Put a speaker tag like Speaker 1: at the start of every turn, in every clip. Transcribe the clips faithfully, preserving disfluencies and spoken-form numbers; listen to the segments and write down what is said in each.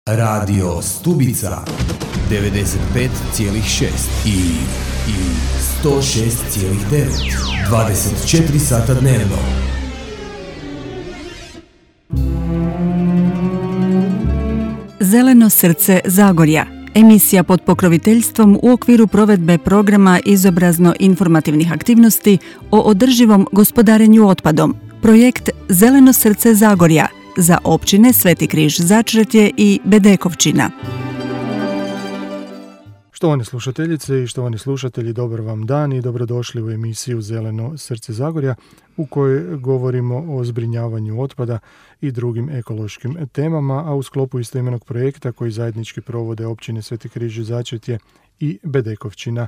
Speaker 1: Radio Stubica devedeset pet zarez šest i, i sto šest zarez devet, dvadeset četiri sata dnevno.
Speaker 2: Zeleno srce Zagorja. Emisija pod pokroviteljstvom u okviru provedbe programa izobrazno-informativnih aktivnosti o održivom gospodarenju otpadom. Projekt Zeleno srce Zagorja za općine Sveti Križ Začretje i Bedekovčina.
Speaker 3: Štovane slušateljice i štovani slušatelji, dobar vam dan i dobrodošli u emisiju Zeleno srce Zagorja u kojoj govorimo o zbrinjavanju otpada i drugim ekološkim temama, a u sklopu istoimenog projekta koji zajednički provode općine Sveti Križ Začretje i Bedekovčina.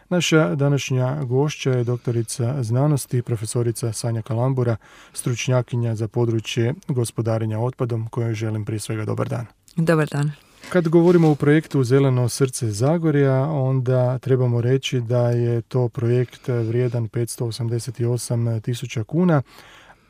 Speaker 3: Naša današnja gošća je doktorica znanosti, profesorica Sanja Kalambura, stručnjakinja za područje gospodarenja otpadom, kojoj želim prije svega dobar dan.
Speaker 4: Dobar dan.
Speaker 3: Kad govorimo o projektu Zeleno srce Zagorja, onda trebamo reći da je to projekt vrijedan petsto osamdeset osam tisuća kuna,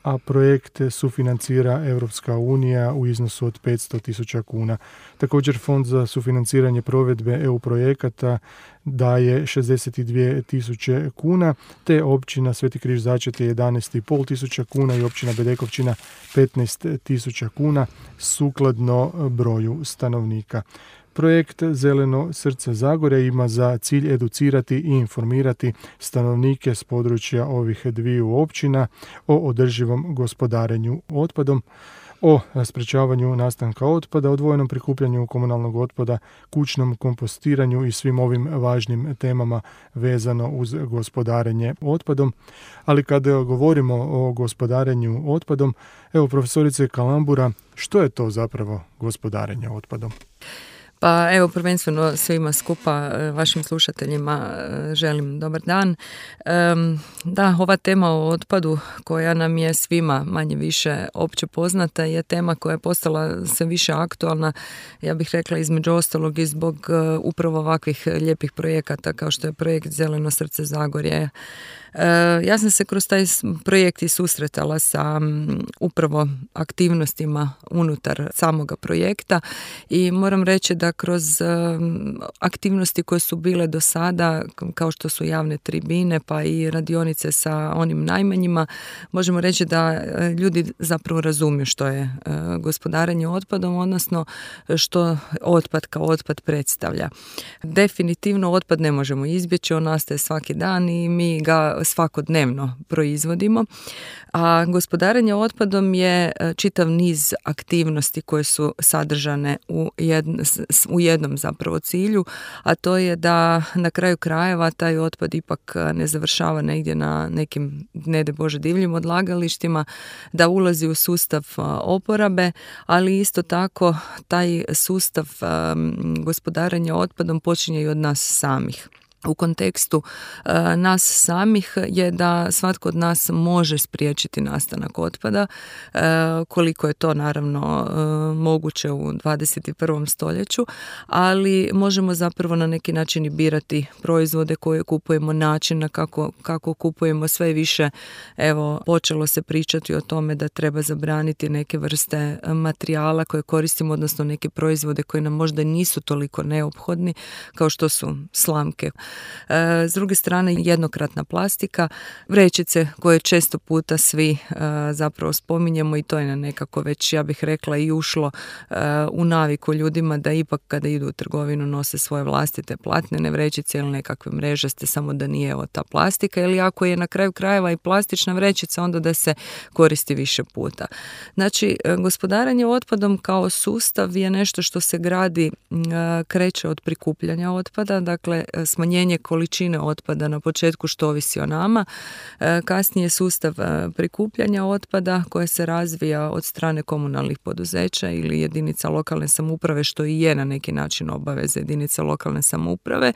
Speaker 3: a projekt sufinancira Europska unija u iznosu od petsto tisuća kuna. Također Fond za sufinanciranje provedbe E U projekata daje šezdeset dvije tisuće kuna, te općina Sveti Križ Začretje jedanaest i pol tisuća kuna i općina Bedekovčina petnaest tisuća kuna sukladno broju stanovnika. Projekt Zeleno srce Zagorja ima za cilj educirati i informirati stanovnike s područja ovih dviju općina o održivom gospodarenju otpadom, o sprečavanju nastanka otpada, odvojenom prikupljanju komunalnog otpada, kućnom kompostiranju i svim ovim važnim temama vezano uz gospodarenje otpadom. Ali kada govorimo o gospodarenju otpadom, evo profesorice Kalambura, što je to zapravo gospodarenje otpadom?
Speaker 4: Pa evo, prvenstveno svima skupa, vašim slušateljima želim dobar dan. Da, ova tema o otpadu koja nam je svima manje više opće poznata je tema koja je postala sve više aktualna, ja bih rekla između ostalog i zbog upravo ovakvih lijepih projekata kao što je projekt Zeleno srce Zagorje. Ja sam se kroz taj projekt i susretala sa upravo aktivnostima unutar samoga projekta i moram reći da kroz aktivnosti koje su bile do sada, kao što su javne tribine pa i radionice sa onim najmanjima, možemo reći da ljudi zapravo razumiju što je gospodarenje otpadom, odnosno što otpad kao otpad predstavlja. Definitivno otpad ne možemo izbjeći, on nastaje svaki dan i mi ga svakodnevno proizvodimo, a gospodarenje otpadom je čitav niz aktivnosti koje su sadržane u, jedn, u jednom zapravo cilju, a to je da na kraju krajeva taj otpad ipak ne završava negdje na nekim, ne daj Bože, divljim odlagalištima, da ulazi u sustav oporabe, ali isto tako taj sustav gospodarenja otpadom počinje i od nas samih. U kontekstu uh, nas samih je da svatko od nas može spriječiti nastanak otpada, uh, koliko je to naravno uh, moguće u dvadeset prvom stoljeću, ali možemo zapravo na neki način i birati proizvode koje kupujemo, način kako, kako kupujemo. Sve više, evo, počelo se pričati o tome da treba zabraniti neke vrste materijala koje koristimo, odnosno neke proizvode koji nam možda nisu toliko neophodni, kao što su slamke. S druge strane, jednokratna plastika, vrećice koje često puta svi zapravo spominjemo i to je nekako već, ja bih rekla, i ušlo u naviku ljudima da ipak kada idu u trgovinu nose svoje vlastite platnene vrećice ili nekakve mrežaste, samo da nije evo ta plastika, ili ako je na kraju krajeva i plastična vrećica, onda da se koristi više puta. Znači, gospodarenje otpadom kao sustav je nešto što se gradi, kreće od prikupljanja otpada, dakle smanjenje količine otpada na početku što ovisi o nama, kasnije sustav prikupljanja otpada koje se razvija od strane komunalnih poduzeća ili jedinica lokalne samouprave, što i je na neki način obaveza jedinica lokalne samouprave,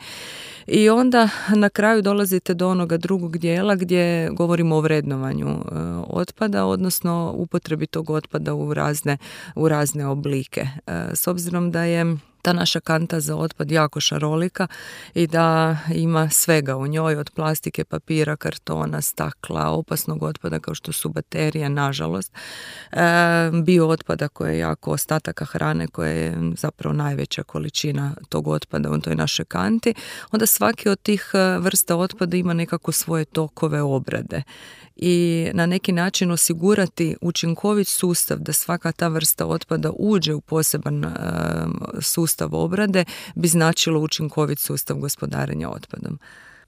Speaker 4: i onda na kraju dolazite do onoga drugog dijela gdje govorimo o vrednovanju otpada, odnosno upotrebi tog otpada u razne, u razne oblike. S obzirom da je ta naša kanta za otpad jako šarolika i da ima svega u njoj, od plastike, papira, kartona, stakla, opasnog otpada kao što su baterije, nažalost, e, bio otpada koje je jako, ostataka hrane koje je zapravo najveća količina tog otpada u toj našoj kanti, onda svaki od tih vrsta otpada ima nekako svoje tokove obrade i na neki način osigurati učinkovit sustav da svaka ta vrsta otpada uđe u poseban e, sustav obrade bi značilo učinkovit sustav gospodarenja otpadom.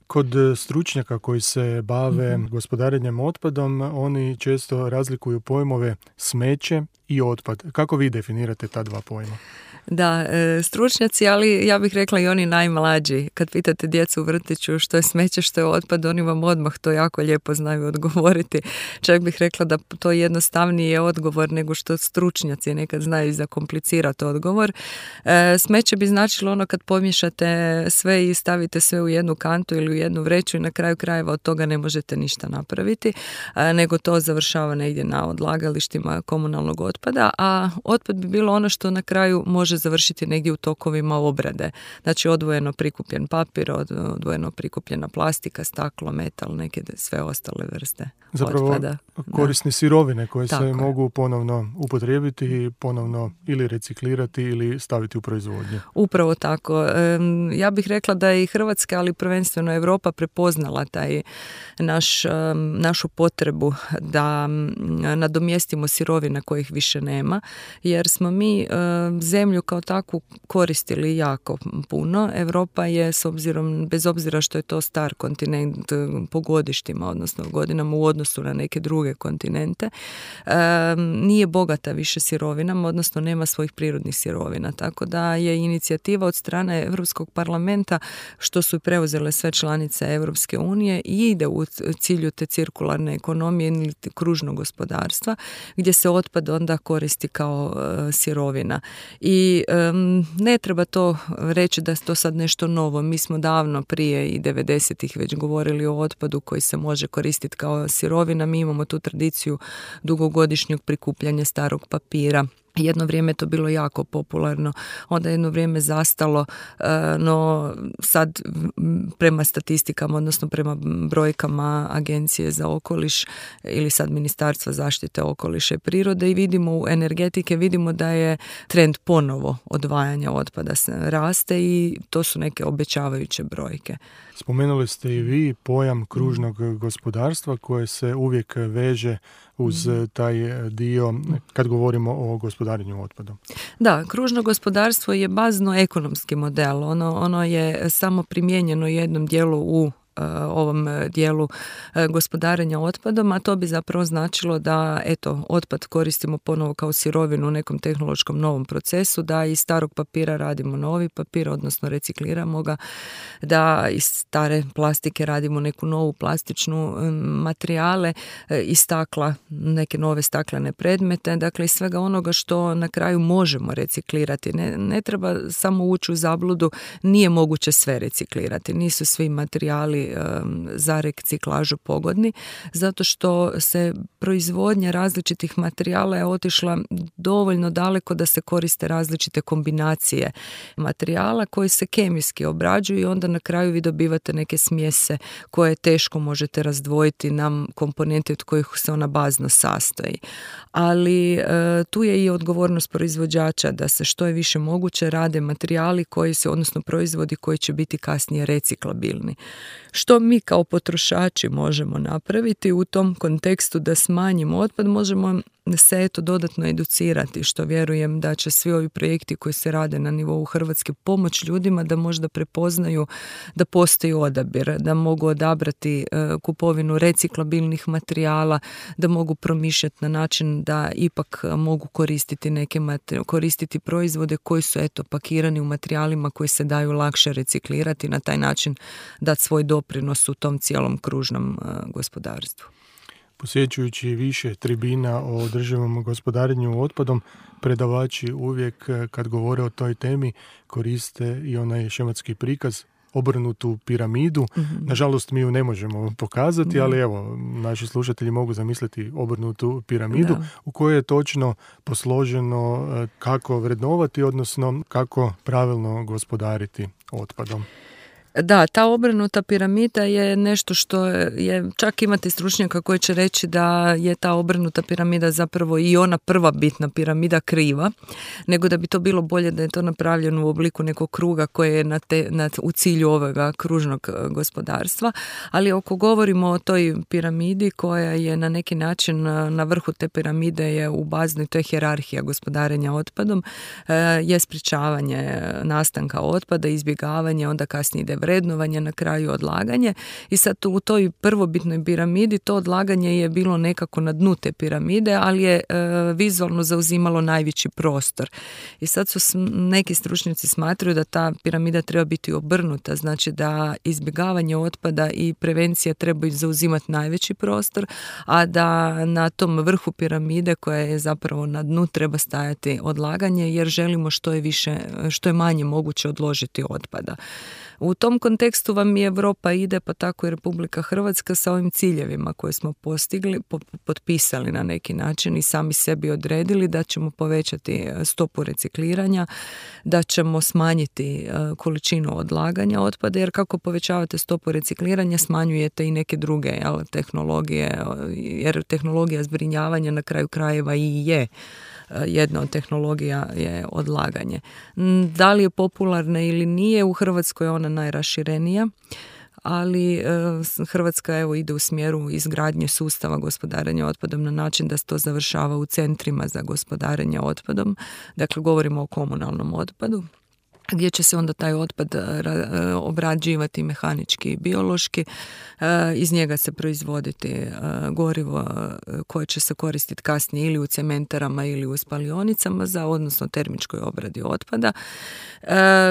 Speaker 3: Kod stručnjaka koji se bave mm-hmm. gospodarenjem otpadom, oni često razlikuju pojmove smeće i otpad. Kako vi definirate ta dva pojma?
Speaker 4: Da, stručnjaci, ali ja bih rekla i oni najmlađi. Kad pitate djecu u vrtiću što je smeće, što je otpad, oni vam odmah to jako lijepo znaju odgovoriti. Čak bih rekla da to jednostavniji je odgovor nego što stručnjaci nekad znaju zakomplicirati odgovor. Smeće bi značilo ono kad pomiješate sve i stavite sve u jednu kantu ili u jednu vreću i na kraju krajeva od toga ne možete ništa napraviti, nego to završava negdje na odlagalištima komunalnog otpada, a otpad bi bilo ono što na kraju može završiti negdje u tokovima obrade. Znači odvojeno prikupljen papir, odvojeno prikupljena plastika, staklo, metal, neke sve ostale vrste
Speaker 3: Zapravo,
Speaker 4: otpada.
Speaker 3: korisne da. sirovine koje
Speaker 4: Tako
Speaker 3: se
Speaker 4: je.
Speaker 3: mogu ponovno upotrijebiti i ponovno ili reciklirati ili staviti u proizvodnju.
Speaker 4: Upravo tako. Ja bih rekla da je i Hrvatska, ali prvenstveno Europa prepoznala taj naš, našu potrebu da nadomjestimo sirovine kojih više nema, jer smo mi zemlju kao takvu koristili jako puno. Europa je, s obzirom, bez obzira što je to star kontinent po godištima, odnosno godinama u odnosu na neke druge kontinente, nije bogata više sirovinama, odnosno nema svojih prirodnih sirovina. Tako da je inicijativa od strane Europskog parlamenta, što su preuzele sve članice Europske unije, i ide u cilju te cirkularne ekonomije ili kružnog gospodarstva, gdje se otpad onda koristi kao sirovina. I um, ne treba to reći da je to sad nešto novo. Mi smo davno prije i devedesetih već govorili o otpadu koji se može koristiti kao sirovina. Mi imamo tu tradiciju dugogodišnjeg prikupljanja starog papira. Jedno vrijeme je to bilo jako popularno, onda jedno vrijeme zastalo, no sad prema statistikama, odnosno prema brojkama Agencije za okoliš ili sad Ministarstva zaštite okoliša i prirode i vidimo u energetike, vidimo da je trend ponovo odvajanja otpada raste i to su neke obećavajuće brojke.
Speaker 3: Spomenuli ste i vi pojam kružnog gospodarstva koje se uvijek veže uz taj dio kad govorimo o gospodarenju otpadom.
Speaker 4: Da, kružno gospodarstvo je bazno ekonomski model. Ono, ono je samo primijenjeno jednom dijelu u ovom dijelu gospodarenja otpadom, a to bi zapravo značilo da eto, otpad koristimo ponovo kao sirovinu u nekom tehnološkom novom procesu, da iz starog papira radimo novi papir, odnosno recikliramo ga, da iz stare plastike radimo neku novu plastičnu materijale, iz stakla neke nove staklene predmete, dakle iz svega onoga što na kraju možemo reciklirati. Ne, ne treba samo ući u zabludu, nije moguće sve reciklirati, nisu svi materijali za reciklažu pogodni, zato što se proizvodnja različitih materijala je otišla dovoljno daleko da se koriste različite kombinacije materijala koji se kemijski obrađuju i onda na kraju vi dobivate neke smjese koje teško možete razdvojiti na komponente od kojih se ona bazno sastoji. Ali e, tu je i odgovornost proizvođača da se što je više moguće rade materijali koji se, odnosno proizvodi koji će biti kasnije reciklabilni. Što mi kao potrošači možemo napraviti u tom kontekstu da smanjimo otpad? Možemo se eto dodatno educirati, što vjerujem da će svi ovi projekti koji se rade na nivou Hrvatske pomoć ljudima da možda prepoznaju da postoji odabir, da mogu odabrati kupovinu reciklabilnih materijala, da mogu promišljati na način da ipak mogu koristiti neke materijale, koristiti proizvode koji su eto pakirani u materijalima koji se daju lakše reciklirati, na taj način dati svoj doprinos u tom cijelom kružnom gospodarstvu.
Speaker 3: Posjećujući više tribina o održivom gospodarenju otpadom, predavači uvijek kad govore o toj temi koriste i onaj šematski prikaz obrnutu piramidu. Mm-hmm. Nažalost, mi ju ne možemo pokazati, mm-hmm. ali evo, naši slušatelji mogu zamisliti obrnutu piramidu da. U kojoj je točno posloženo kako vrednovati, odnosno kako pravilno gospodariti otpadom.
Speaker 4: Da, ta obrnuta piramida je nešto što je, čak imate stručnjaka koji će reći da je ta obrnuta piramida zapravo i ona prva bitna piramida kriva, nego da bi to bilo bolje da je to napravljeno u obliku nekog kruga koje je na te, na, u cilju ovoga kružnog gospodarstva, ali ako govorimo o toj piramidi koja je na neki način na vrhu te piramide je u baznoj, to je hijerarhija gospodarenja otpadom, je sprječavanje nastanka otpada, izbjegavanje, onda kasnije ide vrednovanje, na kraju odlaganje i sad u toj prvobitnoj piramidi to odlaganje je bilo nekako na dnu te piramide, ali je e, vizualno zauzimalo najveći prostor. I sad su neki stručnjaci smatraju da ta piramida treba biti obrnuta, znači da izbjegavanje otpada i prevencija trebaju zauzimati najveći prostor, a da na tom vrhu piramide koja je zapravo na dnu treba stajati odlaganje jer želimo što je više, što je manje moguće odložiti otpada. U tom kontekstu vam i Europa ide, pa tako i Republika Hrvatska sa ovim ciljevima koje smo postigli, po, potpisali na neki način i sami sebi odredili da ćemo povećati stopu recikliranja, da ćemo smanjiti količinu odlaganja otpada, jer kako povećavate stopu recikliranja smanjujete i neke druge jel, tehnologije, jer tehnologija zbrinjavanja na kraju krajeva i je jedna od tehnologija je odlaganje. Da li je popularna ili nije, u Hrvatskoj je ona najraširenija, ali Hrvatska evo ide u smjeru izgradnje sustava gospodarenja otpadom na način da se to završava u centrima za gospodarenje otpadom. Dakle, govorimo o komunalnom otpadu, gdje će se onda taj otpad obrađivati mehanički i biološki, iz njega se proizvoditi gorivo koje će se koristiti kasnije ili u cementarama ili u spalionicama za odnosno termičkoj obradi otpada.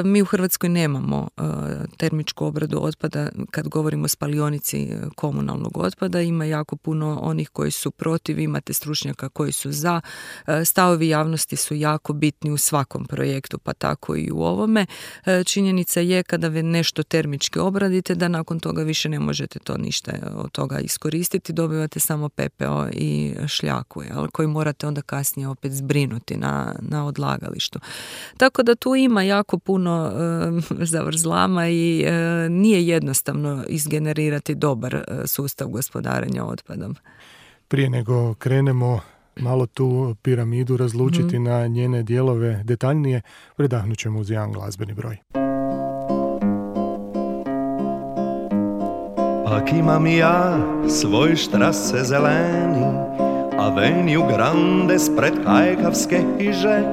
Speaker 4: Mi u Hrvatskoj nemamo termičku obradu otpada kad govorimo o spalionici komunalnog otpada, ima jako puno onih koji su protiv, imate stručnjaka koji su za, stavovi javnosti su jako bitni u svakom projektu, pa tako i u ovom. Činjenica je kada vi nešto termički obradite da nakon toga više ne možete to ništa od toga iskoristiti, dobivate samo pepeo i šljaku, jel, koji morate onda kasnije opet zbrinuti na, na odlagalištu. Tako da tu ima jako puno e, zavrzlama i e, nije jednostavno izgenerirati dobar e, sustav gospodarenja otpadom.
Speaker 3: Prije nego krenemo malo tu piramidu razlučiti mm-hmm. na njene dijelove detaljnije, predahnut ćemo uz jedan glazbeni broj.
Speaker 5: Ak imam ja svoj štrase zeleni, aveniju grande spred kajkavske hiže,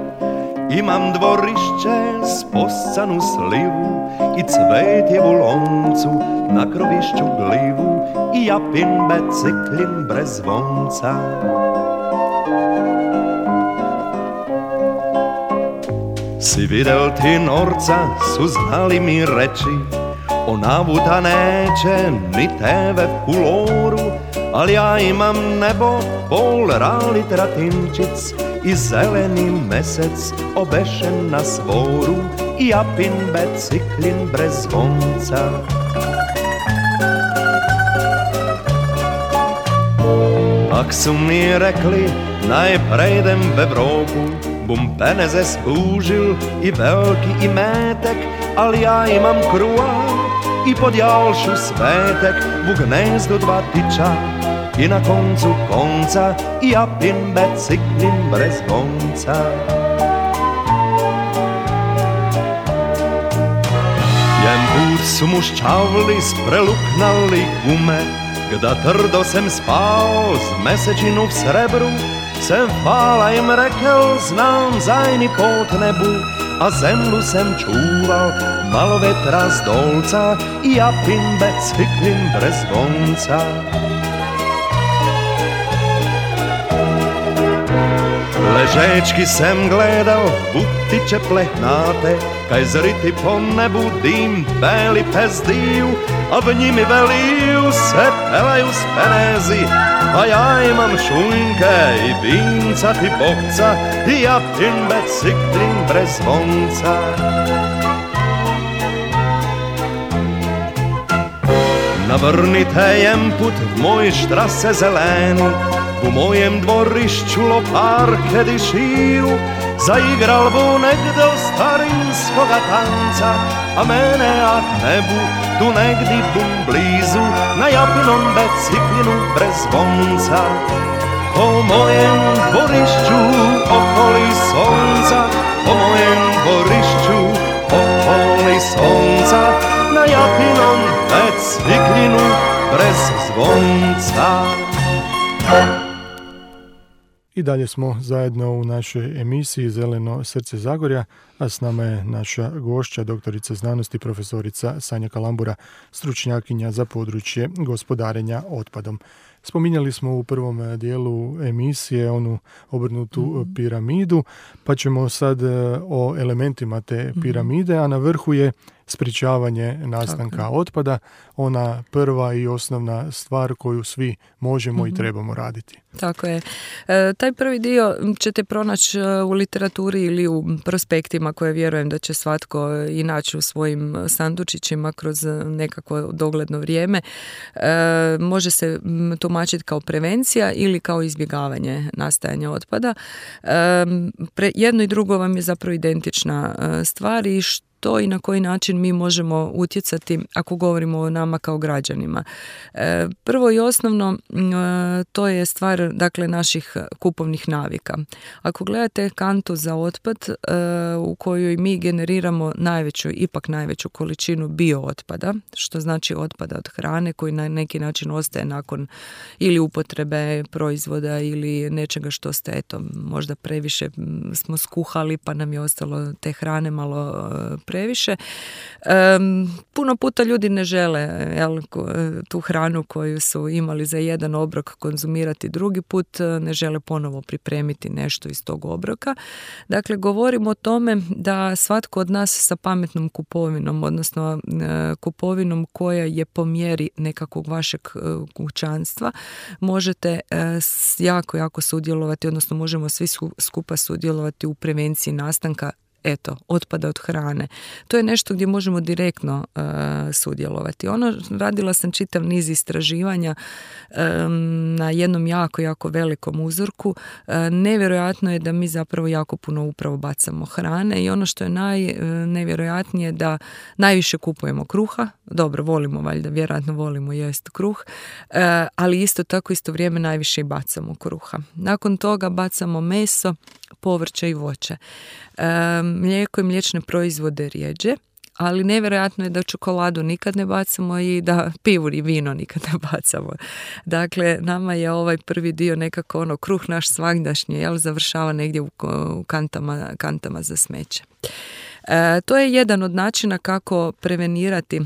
Speaker 5: imam dvorišće s poscanu slivu i cvetjevu loncu na krovišću glivu i japin biciklin brez zvonca. Si videl ti norca, su znali mi reći, onavuta neće ni tebe u loru, ali ja imam nebo, pol rali tratinčic i zeleni mesec obešen na svoru i japin biciklin brez zvonca. Ak su mi rekli, naj prejdem v Evropu, bum peneze skužil i veliki i metek, ali ja imam kruha i pod jalšu svetek, u gnezdu dva tiča i na koncu konca i japin biciklin brez vonca. Jen put su muščavli spreluknali gume, gda trdo sem spao z mesečinu v srebru, sem hvala im rekel, znam zajni pot nebu, a zemlju sem čuval, malo vetra z dolca i japin biciklin brez vonca. Ležečki sem gledal butiće plehnate, kaj zriti po nebu dim beli pezdiju, a v njimi veliju se pelaju s penezi, a ja imam šunke i vinca ti bokca i japin biciklin brez vonca. Navrnite jemput moj štrase zeleni, u mojem dvorišću loparke diširu. Zaigral bu negde starinskoga tanca, a mene ak nebu tu negdje bum blizu, na japinom biciklinu brez zvonca. Po mojem dvorišću okoli sonca, po mojem dvorišću okoli sonca, na japinom biciklinu brez zvonca.
Speaker 3: I dalje smo zajedno u našoj emisiji Zeleno srce Zagorja, a s nama je naša gošća, doktorica znanosti, profesorica Sanja Kalambura, stručnjakinja za područje gospodarenja otpadom. Spominjali smo u prvom dijelu emisije onu obrnutu mm-hmm. piramidu, pa ćemo sad o elementima te piramide, a na vrhu je sprječavanje nastanka Tako. otpada, ona prva i osnovna stvar koju svi možemo mm-hmm. i trebamo raditi.
Speaker 4: Tako je. E, taj prvi dio ćete pronaći u literaturi ili u prospektima koje vjerujem da će svatko i naći u svojim sandučićima kroz nekakvo dogledno vrijeme. E, može se tumačiti kao prevencija ili kao izbjegavanje nastajanja otpada. E, pre, jedno i drugo vam je zapravo identična stvar i što to i na koji način mi možemo utjecati ako govorimo o nama kao građanima. E, prvo i osnovno e, to je stvar dakle naših kupovnih navika. Ako gledate kantu za otpad e, u kojoj mi generiramo najveću, ipak najveću količinu biootpada, što znači otpada od hrane koji na neki način ostaje nakon ili upotrebe proizvoda ili nečega što ste eto možda previše smo skuhali pa nam je ostalo te hrane malo previše. Um, puno puta ljudi ne žele jel, tu hranu koju su imali za jedan obrok konzumirati drugi put, ne žele ponovo pripremiti nešto iz tog obroka. Dakle, govorimo o tome da svatko od nas sa pametnom kupovinom, odnosno kupovinom koja je po mjeri nekakvog vašeg kućanstva, možete jako, jako sudjelovati, odnosno možemo svi skupa sudjelovati u prevenciji nastanka eto, otpada od hrane. To je nešto gdje možemo direktno uh, sudjelovati. Ono, radila sam čitav niz istraživanja um, na jednom jako, jako velikom uzorku. Uh, nevjerojatno je da mi zapravo jako puno upravo bacamo hrane i ono što je najnevjerojatnije da najviše kupujemo kruha. Dobro, volimo valjda, vjerojatno volimo jest kruh, uh, ali isto tako isto vrijeme najviše i bacamo kruha. Nakon toga bacamo meso, povrće i voće. E, mlijeko i mliječne proizvode rijeđe, ali nevjerojatno je da čokoladu nikad ne bacamo i da pivu i vino nikad ne bacamo. Dakle, nama je ovaj prvi dio nekako ono kruh naš svagdašnji, jel, završava negdje u, u kantama, kantama za smeće. E, to je jedan od načina kako prevenirati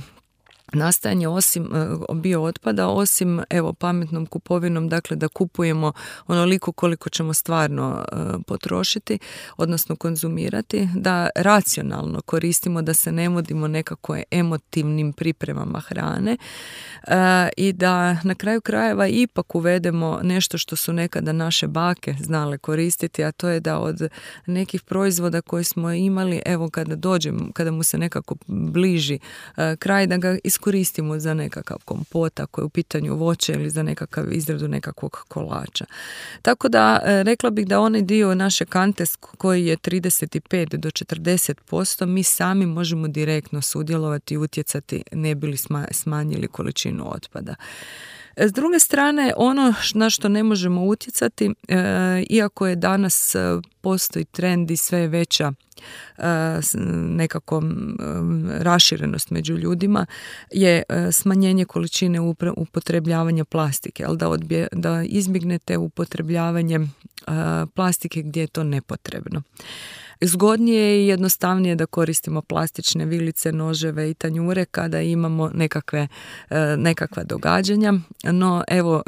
Speaker 4: nastajanje osim bio otpada, osim evo pametnom kupovinom, dakle da kupujemo onoliko koliko ćemo stvarno uh, potrošiti, odnosno konzumirati, da racionalno koristimo, da se ne vodimo nekako emotivnim pripremama hrane uh, i da na kraju krajeva ipak uvedemo nešto što su nekada naše bake znale koristiti, a to je da od nekih proizvoda koje smo imali, evo kada dođem, kada mu se nekako bliži uh, kraj, da ga iskoristimo koristimo za nekakav kompot, ako je u pitanju voće ili za nekakav izradu nekakvog kolača. Tako da rekla bih da onaj dio naše kante koji je trideset pet do četrdeset posto mi sami možemo direktno sudjelovati i utjecati ne bi li smanjili količinu otpada. S druge strane, ono na što ne možemo utjecati, e, iako je danas postoji trend i sve veća e, nekako e, raširenost među ljudima, je e, smanjenje količine upre, upotrebljavanja plastike, ali da, odbje, da izbjegnete upotrebljavanje e, plastike gdje je to nepotrebno. Zgodnije i jednostavnije da koristimo plastične vilice, noževe i tanjure kada imamo nekakve, nekakva događanja, no evo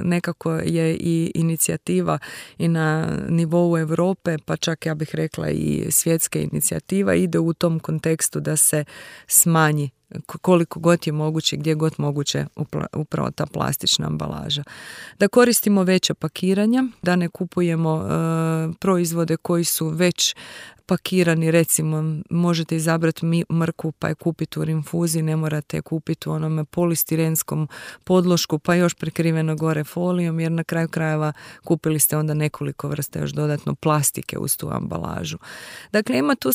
Speaker 4: nekako je i inicijativa i na nivou Europe, pa čak ja bih rekla i svjetska inicijativa ide u tom kontekstu da se smanji koliko god je moguće, gdje god moguće upravo ta plastična ambalaža. Da koristimo veća pakiranja, da ne kupujemo e, proizvode koji su već pakirani, recimo možete izabrati mrkvu pa je kupiti u rinfuzi, ne morate je kupiti u onome polistirenskom podlošku pa još prekriveno gore folijom, jer na kraju krajeva kupili ste onda nekoliko vrsta još dodatno plastike uz tu ambalažu. Dakle, ima tu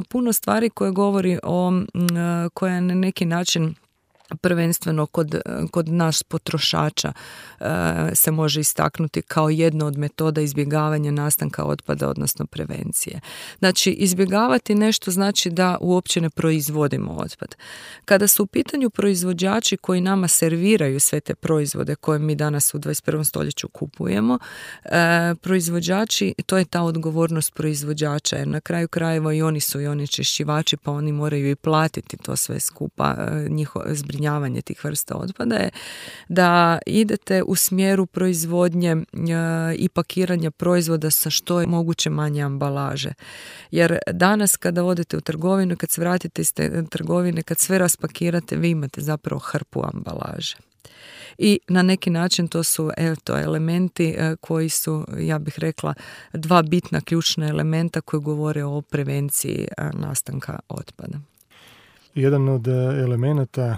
Speaker 4: puno stvari koje govori o, koja na neki način prvenstveno kod, kod nas potrošača e, se može istaknuti kao jedna od metoda izbjegavanja nastanka otpada, odnosno prevencije. Znači, izbjegavati nešto znači da uopće ne proizvodimo otpad. Kada su u pitanju proizvođači koji nama serviraju sve te proizvode koje mi danas u dvadeset prvom stoljeću kupujemo, e, proizvođači, to je ta odgovornost proizvođača, jer na kraju krajeva i oni su i onečišćivači, pa oni moraju i platiti to sve skupa, e, njihovo zbrinjavanje tih vrsta otpada je da idete u smjeru proizvodnje e, i pakiranja proizvoda sa što je moguće manje ambalaže. Jer danas kada odete u trgovinu, kad se vratite iz te trgovine, kad sve raspakirate, vi imate zapravo hrpu ambalaže. I na neki način to su eto, elementi e, koji su, ja bih rekla, dva bitna ključna elementa koji govore o prevenciji e, nastanka otpada.
Speaker 3: Jedan od elemenata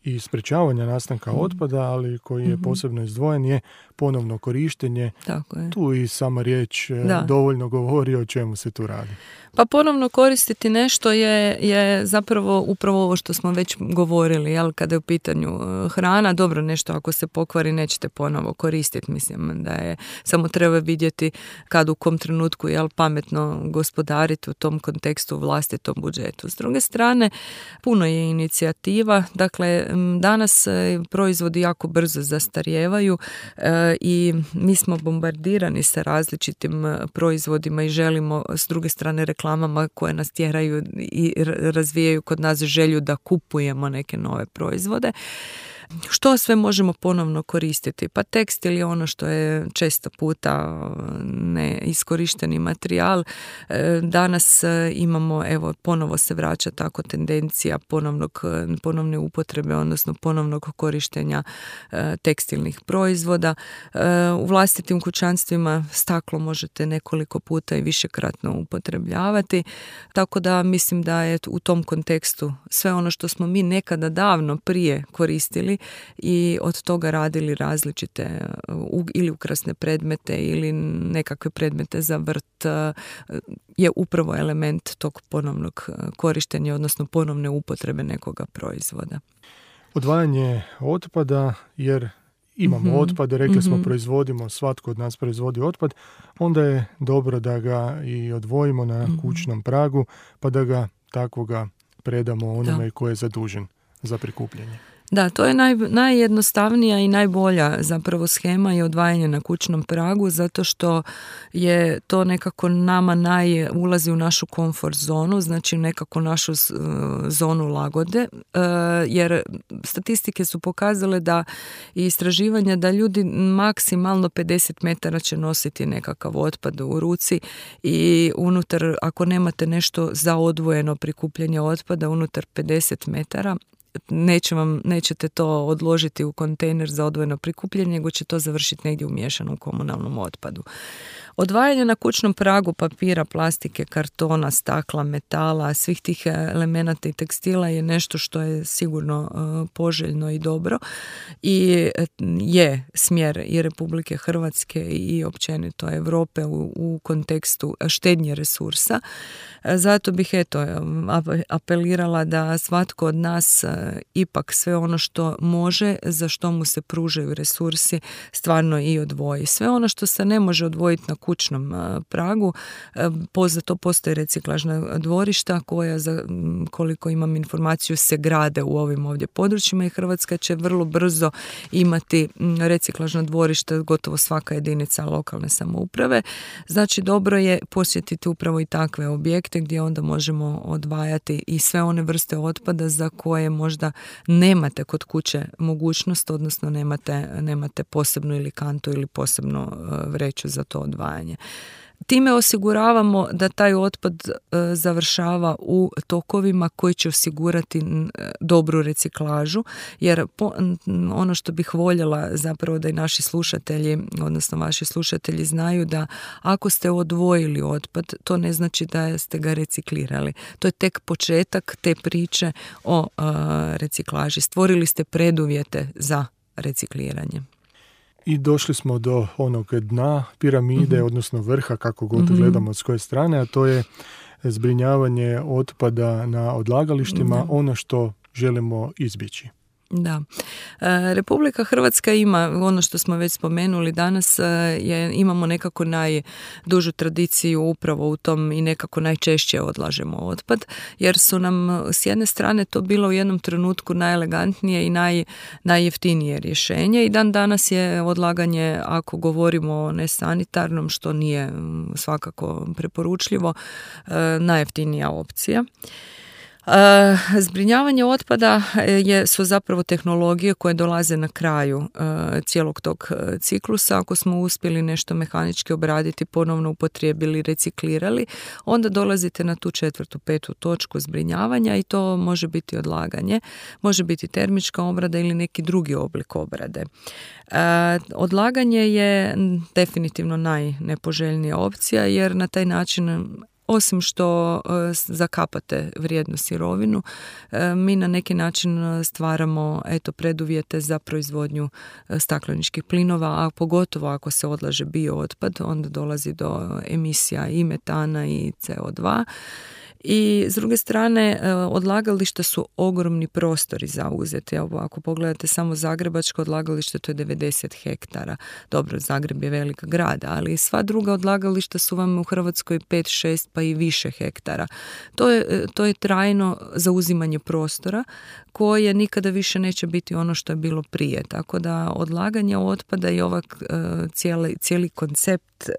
Speaker 3: i sprečavanja nastanka mm. otpada, ali koji je mm-hmm. posebno izdvojen, je ponovno korištenje.
Speaker 4: Tako je.
Speaker 3: Tu i sama riječ da. dovoljno govori o čemu se tu radi.
Speaker 4: Pa ponovno koristiti nešto je, je zapravo upravo ovo što smo već govorili, jel, kada je u pitanju hrana. Dobro, nešto ako se pokvari nećete ponovo koristiti, mislim da je, samo treba vidjeti kad u kom trenutku, jel, pametno gospodariti u tom kontekstu u vlastitom budžetu. S druge strane, puno je inicijativa, dakle, danas proizvodi jako brzo zastarijevaju e, i mi smo bombardirani sa različitim proizvodima i želimo s druge strane reklamama koje nas tjeraju i razvijaju kod nas želju da kupujemo neke nove proizvode. Što sve možemo ponovno koristiti? Pa tekstil je ono što je često puta neiskorišteni materijal. Danas imamo, evo, ponovo se vraća tako tendencija ponovnog, ponovne upotrebe, odnosno ponovnog korištenja tekstilnih proizvoda. U vlastitim kućanstvima staklo možete nekoliko puta i višekratno upotrebljavati, tako da mislim da je u tom kontekstu sve ono što smo mi nekada davno prije koristili i od toga radili različite ili ukrasne predmete ili nekakve predmete za vrt je upravo element tog ponovnog korištenja, odnosno ponovne upotrebe nekoga proizvoda.
Speaker 3: Odvajanje otpada, jer imamo mm-hmm. otpad, rekli mm-hmm. smo proizvodimo, svatko od nas proizvodi otpad, onda je dobro da ga i odvojimo na mm-hmm. kućnom pragu, pa da ga takvoga predamo onome koji je zadužen za prikupljanje.
Speaker 4: Da, to je naj, najjednostavnija i najbolja zapravo shema je odvajanje na kućnom pragu, zato što je to nekako nama naj, ulazi u našu komfort zonu, znači nekako našu uh, zonu lagode, uh, jer statistike su pokazale da i istraživanja da ljudi maksimalno pedeset metara će nositi nekakav otpad u ruci i unutar, ako nemate nešto za odvojeno prikupljanje otpada unutar pedeset metara, Neće vam, nećete to odložiti u kontejner za odvojeno prikupljanje, nego će to završiti negdje u miješanom komunalnom otpadu. Odvajanje na kućnom pragu papira, plastike, kartona, stakla, metala, svih tih elemenata i tekstila je nešto što je sigurno uh, poželjno i dobro i je smjer i Republike Hrvatske i općenito Europe u, u kontekstu štednje resursa. Zato bih eto apelirala da svatko od nas ipak sve ono što može, za što mu se pružaju resursi, stvarno i odvoji. Sve ono što se ne može odvojiti na kućnom pragu, za to postoje reciklažna dvorišta koja, za koliko imam informaciju, se grade u ovim ovdje područjima i Hrvatska će vrlo brzo imati reciklažna dvorišta, gotovo svaka jedinica lokalne samouprave. Znači dobro je posjetiti upravo i takve objekte gdje onda možemo odvajati i sve one vrste otpada za koje možda nemate kod kuće mogućnost, odnosno nemate, nemate posebnu ili kantu ili posebnu vreću za to odvajanje. Time osiguravamo da taj otpad e, završava u tokovima koji će osigurati e, dobru reciklažu, jer po, ono što bih voljela zapravo da i naši slušatelji, odnosno vaši slušatelji znaju da ako ste odvojili otpad, to ne znači da ste ga reciklirali. To je tek početak te priče o e, reciklaži. Stvorili ste preduvjete za recikliranje.
Speaker 3: I došli smo do onog dna piramide, mm-hmm. odnosno vrha, kako god mm-hmm. gledamo od koje strane, a to je zbrinjavanje otpada na odlagalištima, da. Ono što želimo izbjeći.
Speaker 4: Da. E, Republika Hrvatska ima, ono što smo već spomenuli danas, je, imamo nekako najdužu tradiciju upravo u tom i nekako najčešće odlažemo otpad, jer su nam s jedne strane to bilo u jednom trenutku najelegantnije i naj, najjeftinije rješenje i dan danas je odlaganje, ako govorimo o nesanitarnom, što nije svakako preporučljivo, e, najjeftinija opcija. E, zbrinjavanje otpada je, su zapravo tehnologije koje dolaze na kraju e, cijelog tog ciklusa. Ako smo uspjeli nešto mehanički obraditi, ponovno upotrijebili, reciklirali, onda dolazite na tu četvrtu, petu točku zbrinjavanja i to može biti odlaganje, može biti termička obrada ili neki drugi oblik obrade. E, odlaganje je definitivno najnepoželjnija opcija, jer na taj način, osim što e, zakapate vrijednu sirovinu, e, mi na neki način stvaramo eto, preduvjete za proizvodnju e, stakleničkih plinova, a pogotovo ako se odlaže biootpad, onda dolazi do emisija i metana i C O dva. I s druge strane, odlagališta su ogromni prostori zauzeti. Evo, ako pogledate samo zagrebačko odlagalište, to je devedeset hektara. Dobro, Zagreb je velik grad, ali sva druga odlagališta su vam u Hrvatskoj pet, šest pa i više hektara. To je, to je trajno zauzimanje prostora koje nikada više neće biti ono što je bilo prije. Tako da odlaganje otpada i ovaj cijeli, cijeli koncept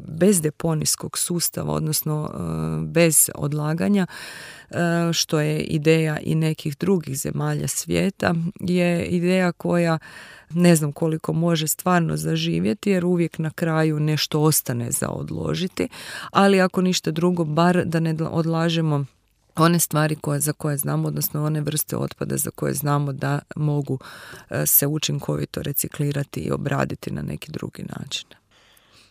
Speaker 4: bezdeponijskog sustava, odnosno bez odlaganja, što je ideja i nekih drugih zemalja svijeta, je ideja koja ne znam koliko može stvarno zaživjeti, jer uvijek na kraju nešto ostane za odložiti, ali ako ništa drugo, bar da ne odlažemo one stvari koje, za koje znamo, odnosno one vrste otpada za koje znamo da mogu se učinkovito reciklirati i obraditi na neki drugi način.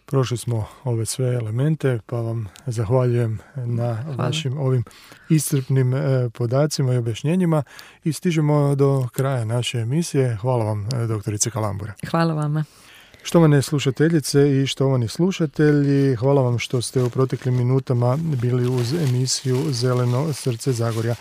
Speaker 3: Prošli smo ove sve elemente, pa vam zahvaljujem na Hvala. vašim ovim iscrpnim e, podacima i objašnjenjima i stižemo do kraja naše emisije. Hvala vam, doktorice Kalambura.
Speaker 4: Hvala vama.
Speaker 3: Štovane slušateljice i štovani slušatelji, hvala vam što ste u proteklim minutama bili uz emisiju Zeleno srce Zagorja.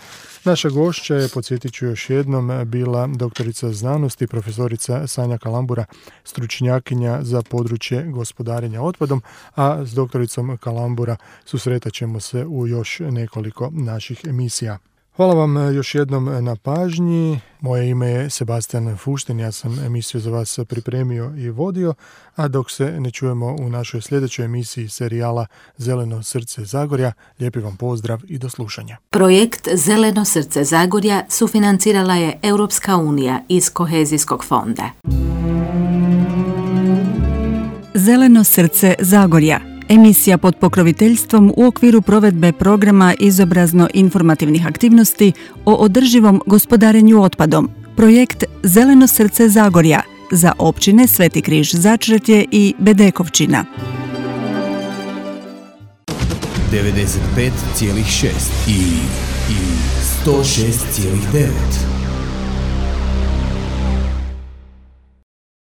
Speaker 3: Naša gošća je, podsjetit ću još jednom, bila doktorica znanosti, profesorica Sanja Kalambura, stručnjakinja za područje gospodarenja otpadom, a s doktoricom Kalambura susretat ćemo se u još nekoliko naših emisija. Hvala vam još jednom na pažnji. Moje ime je Sebastian Fuštin, ja sam emisiju za vas pripremio i vodio, a dok se ne čujemo u našoj sljedećoj emisiji serijala Zeleno srce Zagorja, lijepi vam pozdrav i do slušanja.
Speaker 2: Projekt Zeleno srce Zagorja sufinancirala je Europska unija iz Kohezijskog fonda. Zeleno srce Zagorja. Emisija pod pokroviteljstvom u okviru provedbe programa izobrazno-informativnih aktivnosti o održivom gospodarenju otpadom. Projekt Zeleno srce Zagorja za općine Sveti Križ Začretje i Bedekovčina.
Speaker 1: devedeset pet zarez šest i, i sto šest zarez devet.